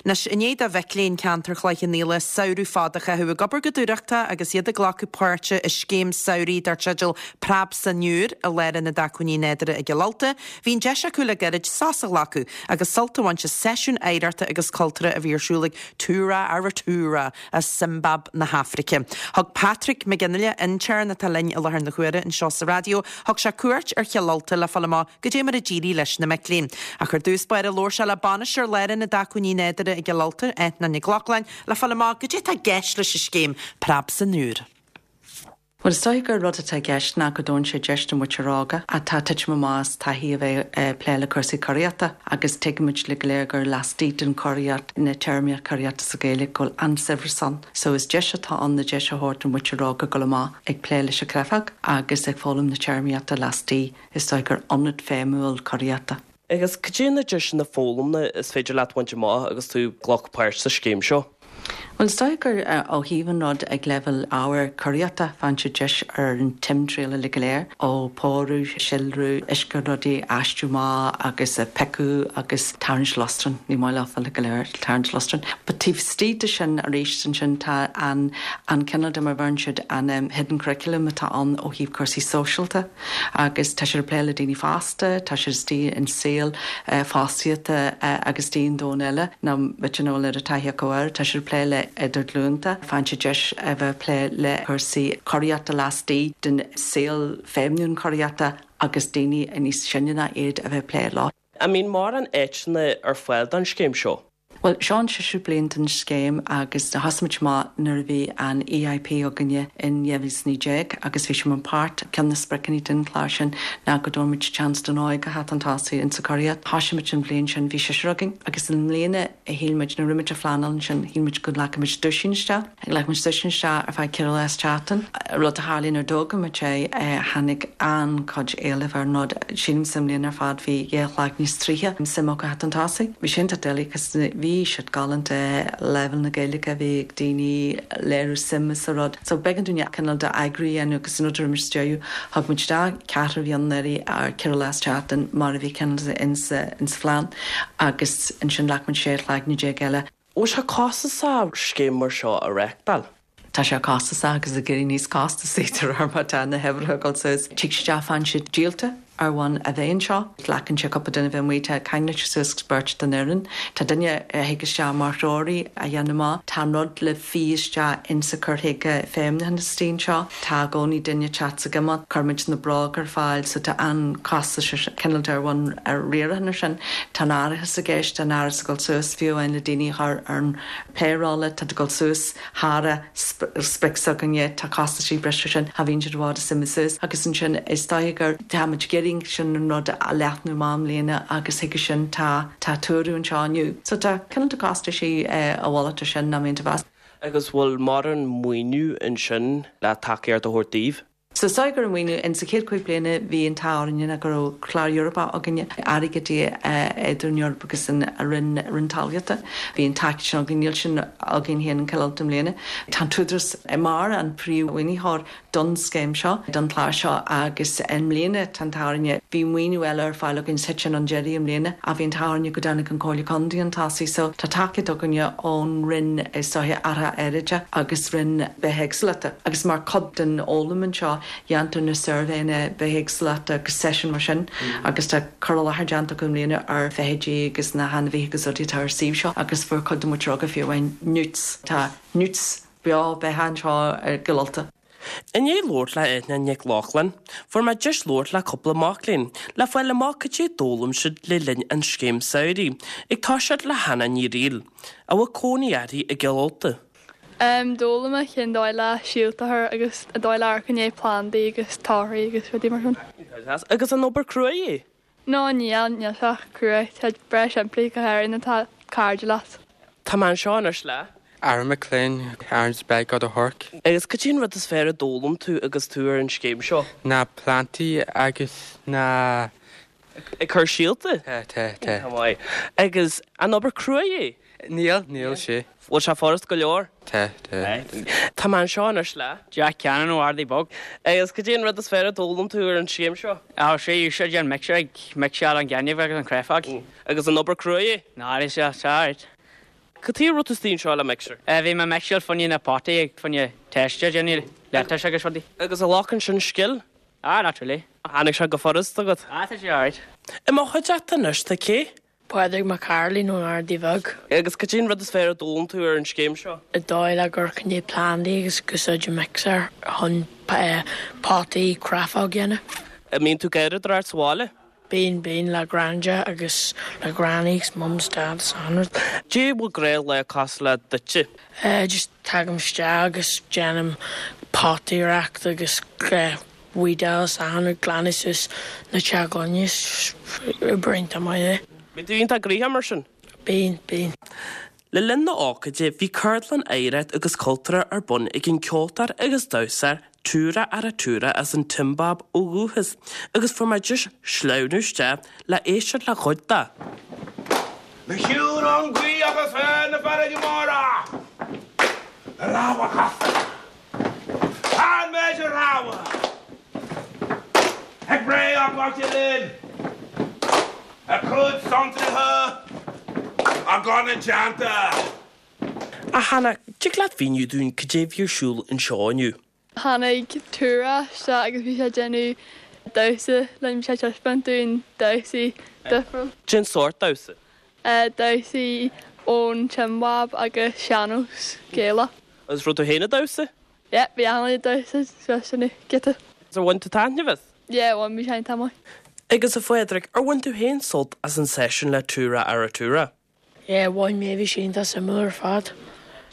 Anois, i ndiaidh do mhic léinn ceantar Chloich Cheann Fhaola samhradh fada a chaitheamh ag obair go dúthrachtach agus iad ag glacadh páirte i scéim samhraidh dar teideal Preab san Iúr i Lárionad Acmhainní Nádúrtha i gCill Ulta, bhí an deis acu le gairid sos a ghlacadh agus sult a bhaint as seisiún oidhreachta agus cultúrtha a bhí ar siúl ag Tura Aratura as Siombáib na hAfraice. Thug Patrick Mac Fhionnghaile, intéirn atá linn i láthair na huaire anseo sa raidió, thug sé cuairt ar Chill Ulta le fáil amach goidé mar a d'éirigh leis na mic léinn. Ach ar dtús báire labhair sé le bainisteoir Lárionad Acmhainní Nádúrtha i gCill Ulta, Eithne Nic Lochlainn, le fáil amach goidé atá i gceist leis an scéim Preab san Iúr. Bhuel, is dóiche gur rud atá i gceist ná go dtabharann sé deis do mhuintir óga atá ag titim amach as taithí a bheith ag plé le cúrsaí curaíochta agus tuigimid uilig go léir gur laistigh den churaíocht, na téarmaíocht curaíochta sa Ghaeilge, go bhfuil an-saibhreas ann. So is deis atá ann na deis a thabhairt don mhuintir óga dul amach ag plé leis an chreafag agus ag foghlaim na téarmaíochta laistigh, is dóigh gur ionad feidhmiúil curaíochta. Agus cad é na deiseanna foghlama is féidir leat bhaint amach agus tú ag glacadh páirt sa scéim seo? Bhuel, is dóigh gur ó thaobh an rud ag leibhéal ábhair curaíochta, faigheann siad deis ar an timthriall uilig go léir, ó pórú, síolrú, uisce rudaí a fheistiú amach agus a piocadh agus tarraingt lustráin, ní maith leofa uilig go léir tarraingt lustráin. But taobh istigh de sin arís ansin tá an an cineál de mar a bheireann siad an hidden curriculum atá ann ó thaobh cúrsaí sóisialta. agus tá siad ag plé le daoine fásta, tá siad istigh in saol fostaíochta agus istigh in domhan eile ná b'fhéidir nach bhfuil oiread taithí acu air, tá siad ag plé le idirghlúnta, faigheann siad deis a bheith ag plé le cúrsaí curaíochta laistigh den saol feidhmiúil curaíochta agus daoine níos sine ná iad a bheith ag plé leo. An mbíonn mórán áiteanna ar fáil don scéim seo? Bhuel, seo an séú bliain den scéim agus thosaigh muid amach nuair a bhí an EIP againne in 2019 agus bhí sé mar páirt, ceann de na spriocanna den chlár sin ná go dtabharfaidh muid chance don óige a theacht chun tosaigh insa churaíocht. Thosaigh muid an bhliain sin, bhí seisear againn agus i mbliana shíl muid, nuair a rinne muid an phleanáil ansin, shíl muid go nglacfaidh muid duisín isteach. Ghlac muid duisín isteach ar feadh ceithre lá sa tseachtain. Rud a tharlaigh nuair a d'fhógair muid é, tháinig an-chuid éilimh ar an rud. Sílim sa mbliain ar fad bhí 12 shlag níos 30 suim acu theacht chun tosaigh. Bhí sé iontach doiligh cos bhí siad galánta, leibhéal na Gaeilge a bhí ag daoine, léiriú suime sa rud. So b'éigean dúinn cineál de eagrú a dhéanamh agus an rud a rinne muid sa deireadh, thug muid isteach ceathrar a bhí ann anuraidh ar ceithre lá sa tseachtain mar a bhí cineál de insa phlean agus ansin ghlac muid 16 shlaigne eile. Bhfuil sé costasach scéim mar seo a reáchtáil? Tá sé costasach agus ag éirí níos costasaí de réir mar tá na huimhreacha ag dul suas. Tig siad isteach faigheann siad díolta ar bhonn a bheith anseo. Glacann sé cúpla duine a bheith amuigh, tá ceangailte suas beirt den fhoireann. Tá duine a thig isteach mar threoraí a dhéanamh amach. Tá an rud le fí isteach insa cur chuige feidhmiúcháin istigh anseo. Tá i gcónaí duine ag teacht 's ag imeacht. Cuirimid na bróga ar fáil so tá an-chostas ar cineál de ar bhonn riaracháin ar sin. Tá an árachas i gceist, tá an árachas ag dul suas fiú amháin le daoine a chur ar an payroll, tá ag dul suas thar a sprioc s'againne, tá costaisí breise ar sin, cha bhíonn siad i bhfad is imithe suas agus ansin is dóiche gur tá muid ag iarraidh sin an rud a leathnú amach i mbliana agus chuige sin tá tá tuaradh anseo inniu. So tá cineál de costaisí a mhalairt ar sin nach mbíonn tú mheas. Agus bhfuil mórán maoiniú ansin le tacaíocht a thabhairt daoibh? So is dóigh go raibh maoiniú, in sa chéad chúig bliana bhí an t-ádh orainne ná go raibh clár Eorpach againne, airgead idir an Eoraip agus an Roinn, Roinn Talmhaíochta. Bhí an tacaíocht sin againn, níl sin againn féin in Cill Ulta i mbliana. Tá an tÚdarás mar an príomh-mhaoinitheoir don scéim seo, don chlár seo agus i mbliana tá an t-ádh orainne, bhí maoiniú eile ar fáil againn, thit sin 'un deiridh i mbliana ach bhí an t-ádh orainne go dtáinig an Comhairle Contae 'un tosaigh so tá tacaíocht againne ón Roinn is dóiche Athraithe Aeráide agus Roinn Bithéagsúlachta agus mar chuid den fhoghlaim anseo dhéantar na suirbhéanna bithéagsúlachta agus seisiúin mar sin agus tá cur i láthair déanta acu i mbliana ar feithidí agus na hainmhithe agus rudaí atá ar suíomh seo agus fuair cuid de muintir óga fiú amháin newts, tá newts beo beatha anseo i gCill Ulta. I ndiaidh labhairt le Eithne Nic Lochlainn, fuair mé deis labhairt le cúpla mac léinn le fáil amach cad é a d'fhoghlaim siad le linn an scéim samhraidh, ag toiseacht le Hannah Ní Fhrighil, a bhfuil cónaí uirthi i gCill Ulta. D'fhoghlaim mé cén dóigh le síolta a chur agus an dóigh le amharc i ndiaidh plandaí agus torthaí agus rudaí mar sin. Agus an obair cruaidh é? No, níl, níl sé cruaidh, tá breá simplí, go háirithe nuair atá cairde leat. Tá mé anseo anois le. Aaron McLean, Aaron Speg ó do Thorc. Agus cad é an rud is fearr a d'fhoghlaim tú agus tú ar an scéim seo? Na plantaí agus na. Ag cur síolta? Tá, tá, tá. Tá maith. Agus an obair cruaidh é? Níl, níl sé. Bhfuil sé furast go leor? Tá, tá. Tá mé anseo anois le. Jack Cannon ó Ardaí Bog. Agus cad é an rud is fearr a d'fhoghlaim tú ar an scéim seo? Á, sé úsáid an mixer ag mixeáil an gaineamh agus an chréafóg. Agus an obair cruaidh é? Ná, níl sé, tá alright. Cad chuige a raibh tú istigh anseo le mixer? Bhí mé ag mixeáil fá choinne na potaí fá choinne teiste a dhéanamh, lettuce agus rudaí. Agus an nglacann sin scil? Ah, not really. Tháinig sé go furast agat? Ah, tá sé alright. I mo chuideachta anois tá cé? Pádraig Mac Cairilín ón Ardaidh Bheag. Agus cad é an rud is fearr a d'fhoghlaim tú ar an scéim seo? An dóigh le cur fá choinne plandaí agus ag úsáid an mixer chun potaí cráifeach a dhéanamh. An mbíonn tú ag garraíodóireacht sa bhaile? Bíonn, bíonn, le Granda agus le Granny agus Mum 's Dad 's achan rud. Cad é a bhfuil gnáthlá cosúil le duitse? Just tagaim isteach agus déanaim potaireacht agus weedáil 's achan rud, glanadh suas na teach gloine, is obair iontach maith é. Bíonn tú iontach gnoitheach mar sin? Bíonn, bíonn. Le linn na hócáide bhí ceardlann oidhreacht agus cultúrtha ar bun ag an ceoltóir agus damhsóir Tura Aratura as an tSiombáib ó dhúchas agus fuair mé deis sleamhnú isteach le éisteacht le cuid de. Le shiúl ón ghaoth agus ar na farraigí móra, Le lámha casta, an méid a rogha, Ag breith á gcaite linn, A cuid santraithe a gan a dteannta. A Hannah, dtig leat mhíniú dúinn cad é bhí ar siúl anseo inniu? Tháinig Tura isteach agus bhí sé ag déanamh damhsa linn, bhí sé ag taispeáint dúinn damhsaí difriúil. Cén sórt damhsa? Damhsaí ón tSiombáib agus sean-nós Gaelach. Agus raibh tú féin ag damhsa? Yeah, bhí achan duine ag damhsa suas sin giota. Ar bhain tú taitneamh as? Yeah, bhain, bhí sé iontach maith. Agus a Phádraig, ar bhain tú féin sult as an seisiún le Tura Aratura? Yeah, bhain mé, bhí sé iontach suimiúil ar fad.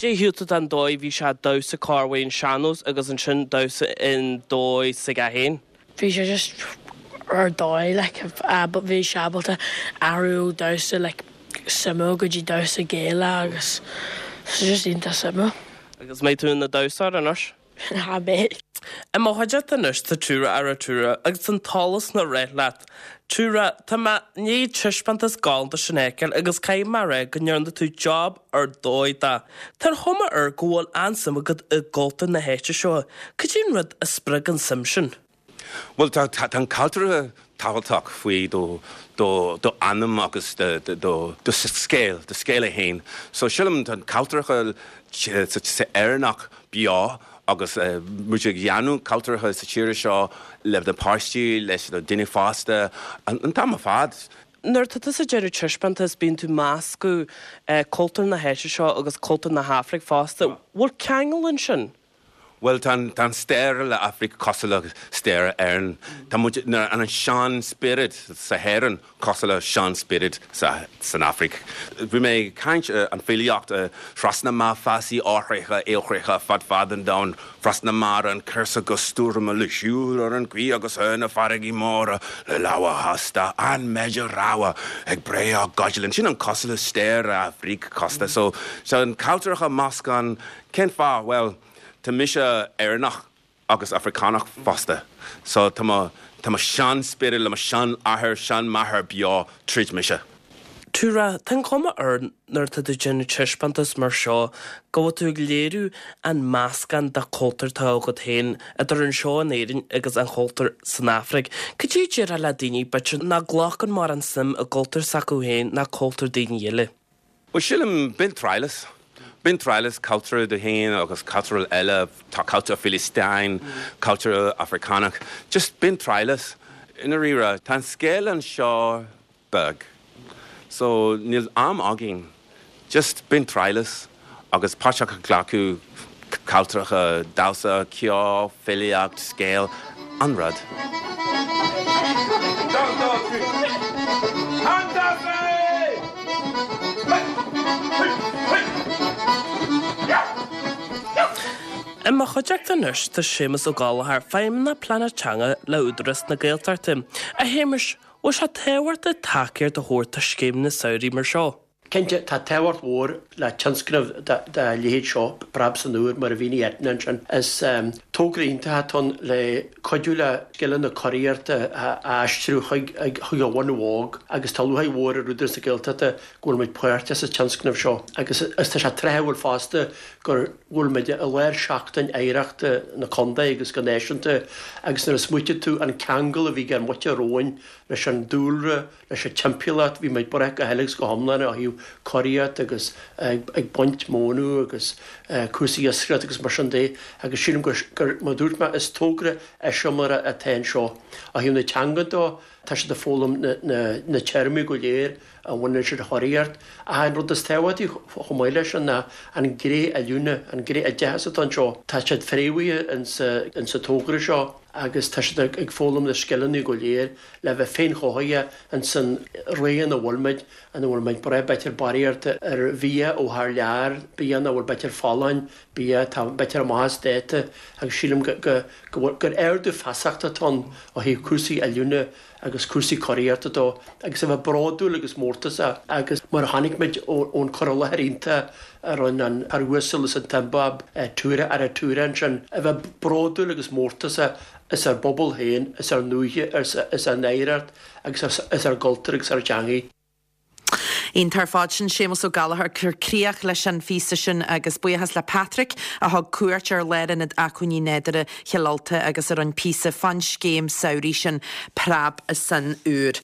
Cad é a shíl tú den dóigh bhí sé ag damhsa corruair an sean-nós agus ansin damhsa in dóigh s'aige féin? Bhí sé just ar dóigh like bhí sé ábalta athrú ó damhsa like suimiúil go dtí damhsa Gaelach agus so just iontach suimiúil. Agus mbeidh tú ina damhsóir anois? Ha beidh. I mo chuideachta anois tá Tura Aratura agus an t-eolas na rith leat. Tura, tá mé i ndiaidh an taispeántas galánta sin a fheiceáil agus caithfidh mé a rá go ndearna tú job ar dóigh de. Tá an chuma air go bhfuil an-suim agat i gcultúr na háite seo. Cad é an rud a spreag an suim sin? Bhuel, tá tá an cultúr tábhachtach faoi do do do anam agus do do do scéal, do scéal é féin. So sílim tá an cultúrtha sa Éireannach beo agus muid ag dhéanamh cultúrtha sa tír seo le na páistí, leis na daoine fásta an t-am ar fad. Nuair atá tusa ag déanamh taispeántas bíonn tú ag meascadh cultúr na háite seo agus cultúr na hAfraice fosta. Bhfuil ceangal ansin? Bhuel, tá an, tá an stair le Afraic cosúil le stair Éireann. Tá muid, na, an sean spiorad sa hÉireann cosúil le sean spiorad sa, san Afraic. Bhí mé ag caint an filíocht trasna má feasaí áthraithe, aolchloiche fad fad an domhain, trasna mara an cúrsa go stoirme le siúl ar an ghaoth agus ar na farraigí móra le lámha hasta an méid a rogha ag breith á gcaidlinn. Sin an cosúil le stair Afraic costa. So, so an cultúrtha meascán Cén fáth? Bhuel, tá mise Éireannach agus Afracánach fosta. So tá mo, tá mo sean-spiorad le mo sean-athair, sean-máthair beo tríd mise. Tura, tá an chuma air nuair atá tú ag déanamh taispeántas mar seo go bhfuil tú ag léiriú an meascán de chultúr atá agat féin idir anseo in Éirinn agus an chultúr san Afraic. Cad é a déarfá le daoine b'fhéidir nach nglacann mórán suim i gcultúr s'acu féin ná cultúr daoine eile? Bhuel, sílim, bain triail as. Bain triail as cultúr do féin agus cultúr eile, tá cultúr Philistine, cultúr Africánach, just bain triail as. I ndáiríre, tá an scéal anseo beag, so níl am againn, just bain triail as agus páirt a ghlacadh cultúrtha, damhsa, ceol, filíocht, scéal, an rud. I mo chuideachta anois tá Séamus Ó Gallchóir, Feidhmeannach Pleanála Teanga le Údarás na Gaeltachta. A Shéamuis, bhfuil sé tábhachtach tacaíocht a thabhairt do scéimeanna samhraidh mar seo? Cinnte, tá tábhacht mhór le tionscnamh dá leithéid seo, Preab san Iúr, mar a mhínigh Eithne ansin. Is togra iontach atá ann le cuidiú le scileanna curaíochta a aistriú chuig an bhun óg agus tá lúcháir mhór ar Údarás na Gaeltachta go bhfuil muid páirteach sa tionscnamh seo agus tá sé tráthúil fosta go bhfuil muid i lár Seachtain Oidhreachta na Contae agus go náisiúnta agus nuair a smaoitíonn tú an ceangal a bhí ag ár muintir romhainn leis an dúlra, leis an timpeallacht, bhí muid buartha go huile agus go hiomlán ó thaobh. curaíocht agus ag baint mónadh agus cúrsaí iascaireachta agus mar sin de agus sílim gur, mar a dúirt mé, is togra eiseamláire atá anseo. Ó thaobh na teanga de, tá siad ag foghlaim na téarmaí go léir a bhaineann leis an churaíocht. Ach an rud is tábhachtaí chomh maith leis sin ná an ghné oiliúna, an ghné oideachais atá anseo. Tá siad fréamhaithe insa togra seo agus tá siad ag foghlaim na scileanna go léir le bheith féinchothaithe insan ré ina bhfuil muid, ina bhfuil muid ag brath b'fhéidir barraíocht ar bhia ó thar lear, bia nach bhfuil b'fhéidir folláin, bia atá b'fhéidir amach as dáta agus sílim go bhfuil, gur ardú feasachta atá ann ó thaobh cúrsaí oiliúna agus cúrsaí curaíochta de agus a bheith bródúil agus mórtasach agus mar a chonaic muid ón cur i láthair iontach a rinne an fear uasal as an tSiombáib, Tura Aratura ansin, a bheith bródúil agus mórtasach as ár bpobal féin, as ár ndúiche, as ár n-oidhreacht agus as ár gcultúr agus ár dteangaidh. Iontach ar fad. Sin Séamus Ó Gallchóir ag cur críoch leis an phíosa sin agus buíochas le Patrick a thug cuairt ar Lárionad Acmhainní Nádúrtha Chill Ulta agus a rinne píosa fán scéim samhraidh sin Preab san Iúr.